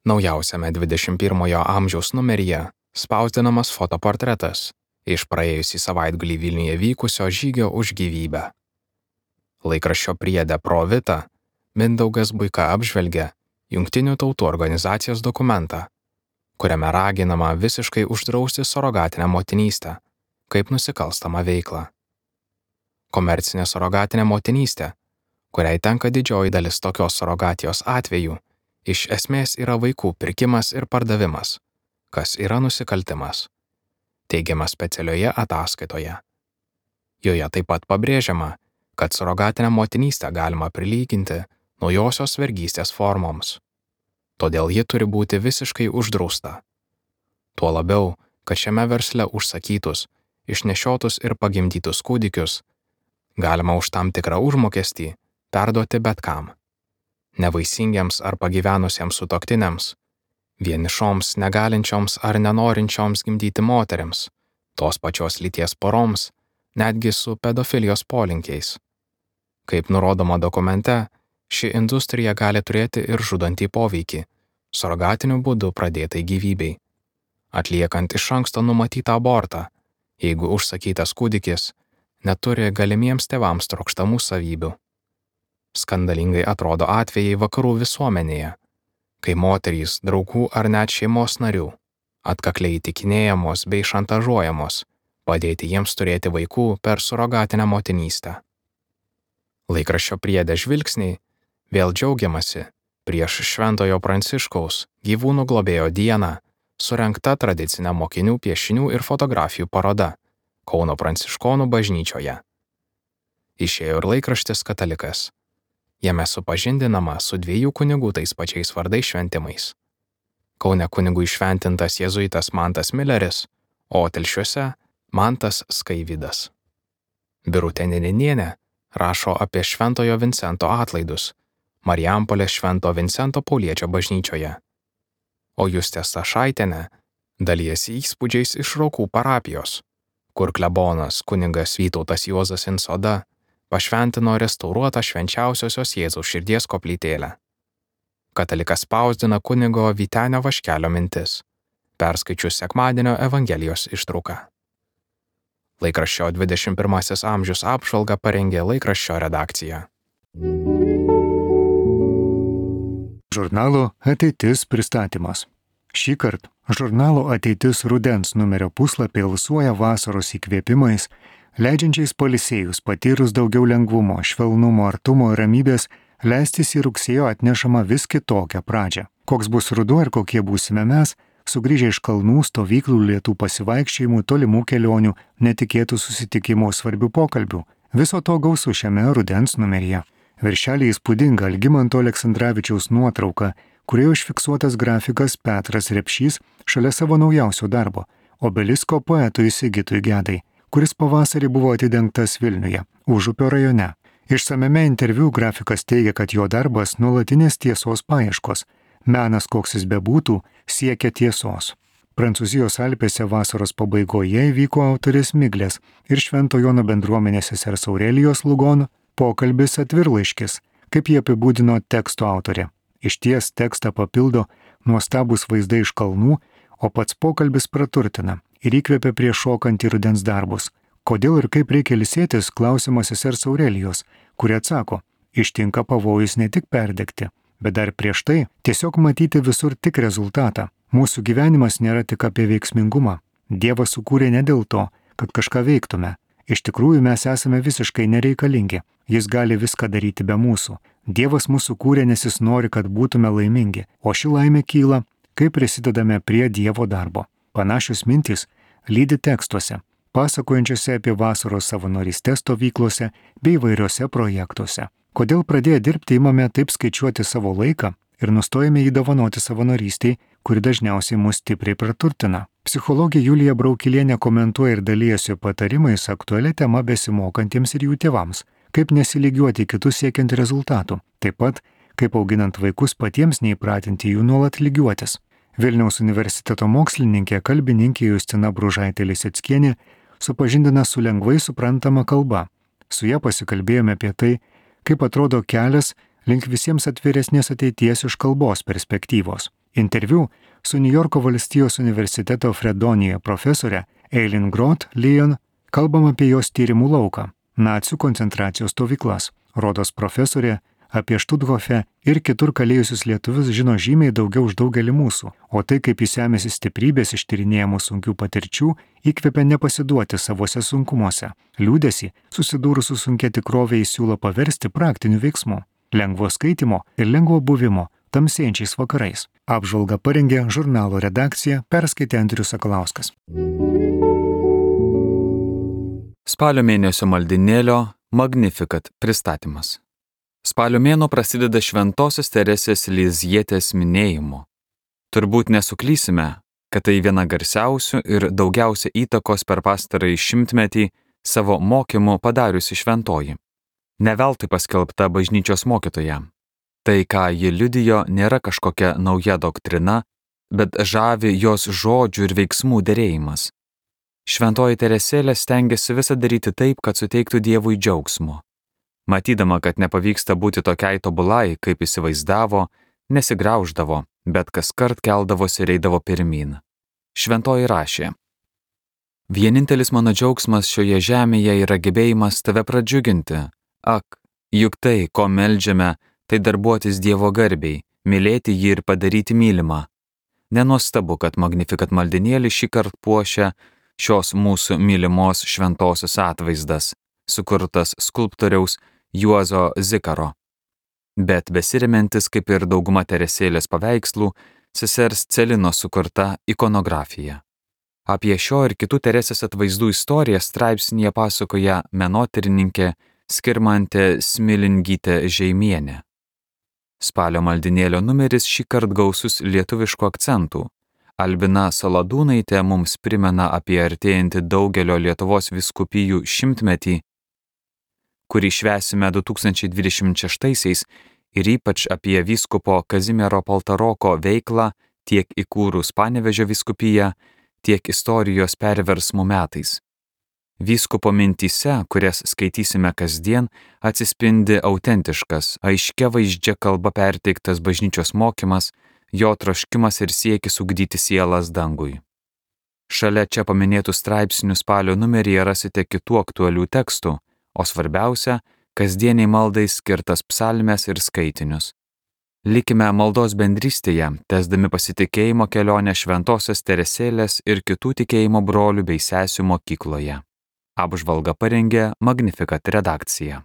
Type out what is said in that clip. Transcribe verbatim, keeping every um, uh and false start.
Naujausiame dvidešimt pirmojo amžiaus numeryje spausdinamas fotoportretas iš praėjusį savaitgalį Vilniuje vykusio žygio už gyvybę. Laikraščio priede Pro Vita Mindaugas Buika apžvelgia Jungtinių tautų organizacijos dokumentą, kuriame raginama visiškai uždrausti surogatinę motinystę kaip nusikalstamą veiklą. Komercinė surogatinė motinystė, kuriai tenka didžioji dalis tokios surogatijos atvejų, iš esmės yra vaikų pirkimas ir pardavimas, kas yra nusikaltimas, teigiama specialioje ataskaitoje. Joje taip pat pabrėžiama, kad surogatinę motinystę galima prilyginti naujosios vergystės formoms. Todėl ji turi būti visiškai uždrausta. Tuo labiau, kad šiame versle užsakytus, išnešiotus ir pagimdytus kūdikius galima už tam tikrą užmokestį perduoti bet kam. Nevaisingiams ar pagyvenusiems sutuoktiniams, vienišoms, negalinčioms ar nenorinčioms gimdyti moterims, tos pačios lyties poroms, netgi su pedofilijos polinkiais. Kaip nurodoma dokumente, ši industrija gali turėti ir žudantį poveikį surogatiniu būdu pradėtai gyvybei. Atliekant iš anksto numatytą abortą, jeigu užsakytas kūdikis neturi galimiems tėvams trokštamų savybių. Skandalingai atrodo atvejai vakarų visuomenėje, kai moterys, draugų ar net šeimos narių atkakliai įtikinėjamos bei šantažuojamos padėti jiems turėti vaikų per surogatinę motinystę. Laikraščio priede Žvilgsniai vėl džiaugiamasi prieš Šventojo Pranciškaus gyvūnų globėjo dieną surengta tradicinė mokinių piešinių ir fotografijų paroda Kauno Pranciškonų bažnyčioje. Išėjo ir laikraštis Katalikas. Jame supažindinama su dviejų kunigų tais pačiais vardais šventimais. Kaune kunigų įšventintas jėzuitas Mantas Mileris, o Telšiuose Mantas Skaivydas. Birutė Nėnienė rašo apie Šventojo Vincento atlaidus Marijampolės Švento Vincento Pauliečio bažnyčioje. O Justė Stašaitienė dalijasi įspūdžiais iš Raukų parapijos, kur klebonas kunigas Vytautas Juozas Insoda pašventino restauruotą švenčiausiosios Jėzaus širdies koplytėlę. Katalikas spausdina kunigo Vytenio Vaškelio mintis, perskaičius sekmadienio Evangelijos ištrauką. Laikraščio dvidešimt pirmasis amžius apžvalgą parengė laikraščio redakcija. Žurnalo Ateitis pristatymas. Šįkart žurnalo Ateitis rudens numerio puslapį alsuoja vasaros įkvėpimais, leidžiančiais pailsėjus patyrus daugiau lengvumo, švelnumo, artumo ir ramybės leistis į rugsėjo atnešamą vis kitokią pradžią. Koks bus ruduo ir kokie būsime mes, sugrįžę iš kalnų, stovyklų, lietų pasivaikščiojimų, tolimų kelionių, netikėtų susitikimų, svarbių pokalbių. Viso to gausu šiame rudens numeryje. Viršelį įspūdinga Algimanto Aleksandravičiaus nuotrauka, kurioje užfiksuotas grafikas Petras Repšys šalia savo naujausio darbo, obelisko poetui Sigitui Gedai, kuris pavasarį buvo atidengtas Vilniuje, Užupio rajone. Išsamiame interviu grafikas teigia, kad jo darbas nuolatinės tiesos paieškos. Menas, koks jis bebūtų, siekia tiesos. Prancūzijos Alpėse vasaros pabaigoje įvyko autorės Miglės ir Švento Jono bendruomenės sesers Aurelijos Lugon pokalbis atvirlaiškis, kaip jie apibūdino teksto autorė. Išties tekstą papildo nuostabūs vaizdai iš kalnų, o pats pokalbis praturtina ir įkvepia prieš šokantį rudens darbus. Kodėl ir kaip reikia ilsėtis, klausimas sesers Aurelijos, kuri atsako, ištinka pavojus ne tik perdegti, bet dar prieš tai tiesiog matyti visur tik rezultatą. Mūsų gyvenimas nėra tik apie veiksmingumą. Dievas sukūrė ne dėl to, kad kažką veiktume. Iš tikrųjų mes esame visiškai nereikalingi. Jis gali viską daryti be mūsų. Dievas mūsų kūrė, nes jis nori, kad būtume laimingi, o ši laimė kyla, kai prisidedame prie Dievo darbo. Panašios mintys lydi tekstuose, pasakojančiuose apie vasaros savanorystės stovyklose bei įvairiuose projektuose. Kodėl pradėję dirbti imame taip skaičiuoti savo laiką ir nustojame jį dovanoti savanorystiai, kuri dažniausiai mus stipriai praturtina. Psichologė Julija Braukilienė komentuoja ir dalijasi patarimais aktualią temą besimokantiems ir jų tėvams, kaip nesilygiuoti kitus siekiant rezultatų, taip pat kaip auginant vaikus patiems neįpratinti jų nuolat lygiuotis. Vilniaus universiteto mokslininkė, kalbininkė Justina Bružaitė-Liseckienė supažindina su lengvai suprantama kalba. Su ja pasikalbėjome apie tai, kaip atrodo kelias link visiems atviresnės ateities iš kalbos perspektyvos. Interviu su Niujorko valstijos universiteto Fredonija profesorė Eileen Groth Leon kalbam apie jos tyrimų lauką – nacių koncentracijos stovyklas. Rodos profesorė apie Štuthofe ir kitur kalėjusius lietuvius žino žymiai daugiau už daugelį mūsų, o tai, kaip jis ėmėsi stiprybės iš tyrinėjamų sunkių patirčių, įkvepia nepasiduoti savose sunkumuose. Liūdesį, susidūrus su sunkia tikrovė, jis siūlo paversti praktiniu veiksmu, lengvo skaitimo ir lengvo buvimo tamsėjančiais vakarais. Apžvalgą parengė žurnalo redakcija, perskaitė Andrius Sakalauskas. Spalio mėnesio maldinėlio Magnificat pristatymas. Spalio mėnuo prasideda Šventosios Teresės Lizjietės minėjimu. Turbūt nesuklysime, kad tai viena garsiausių ir daugiausia įtakos per pastarąjį šimtmetį savo mokymu padariusi šventoji. Ne veltui paskelbta bažnyčios mokytoja. Tai, ką ji liudijo, nėra kažkokia nauja doktrina, bet žavi jos žodžių ir veiksmų derėjimas. Šventoji Teresėlė stengiasi visą daryti taip, kad suteiktų Dievui džiaugsmo. Matydama, kad nepavyksta būti tokiai tobulai, kaip įsivaizdavo, nesigrauždavo, bet kaskart keldavosi ir eidavo pirmyn. Šventoji rašė: Vienintelis mano džiaugsmas šioje žemėje yra gebėjimas tave pradžiuginti. Ak, juk tai, ko meldžiame, tai darbuotis Dievo garbiai, mylėti jį ir padaryti mylimą. Nenuostabu, kad Magnificat maldinėlį šįkart puošia šios mūsų mylimos šventosios atvaizdas, sukurtas skulptoriaus Juozo Zikaro. Bet besirimentis, kaip ir dauguma Teresėlės paveikslų, sesers Celino sukurta ikonografija. Apie šio ir kitų Teresės atvaizdų istoriją straipsnyje pasakoja menotyrininkė Skirmantė Smilingytė Žeimienė. Spalio maldinėlio numeris šįkart gausus lietuviškų akcentų. Albina Saladūnaitė mums primena apie artėjantį daugelio Lietuvos vyskupijų šimtmetį, kurį švęsime du tūkstančiai dvidešimt šeštaisiais, ir ypač apie vyskupo Kazimiero Paltaroko veiklą tiek įkūrus Panevėžio vyskupiją, tiek istorijos perversmų metais. Vyskupo mintyse, kurias skaitysime kasdien, atsispindi autentiškas, aiškia vaizdžia kalba perteiktas bažnyčios mokymas, jo troškimas ir siekis ugdyti sielas dangui. Šalia čia paminėtų straipsnių spalio numeryje rasite kitų aktualių tekstų, o svarbiausia, kasdieniai maldai skirtas psalmes ir skaitinius. Likime maldos bendrystėje, tęsdami pasitikėjimo kelionę Šventosios Teresėlės ir kitų tikėjimo brolių bei sesių mokykloje. Apžvalgą parengė Magnificat redakcija.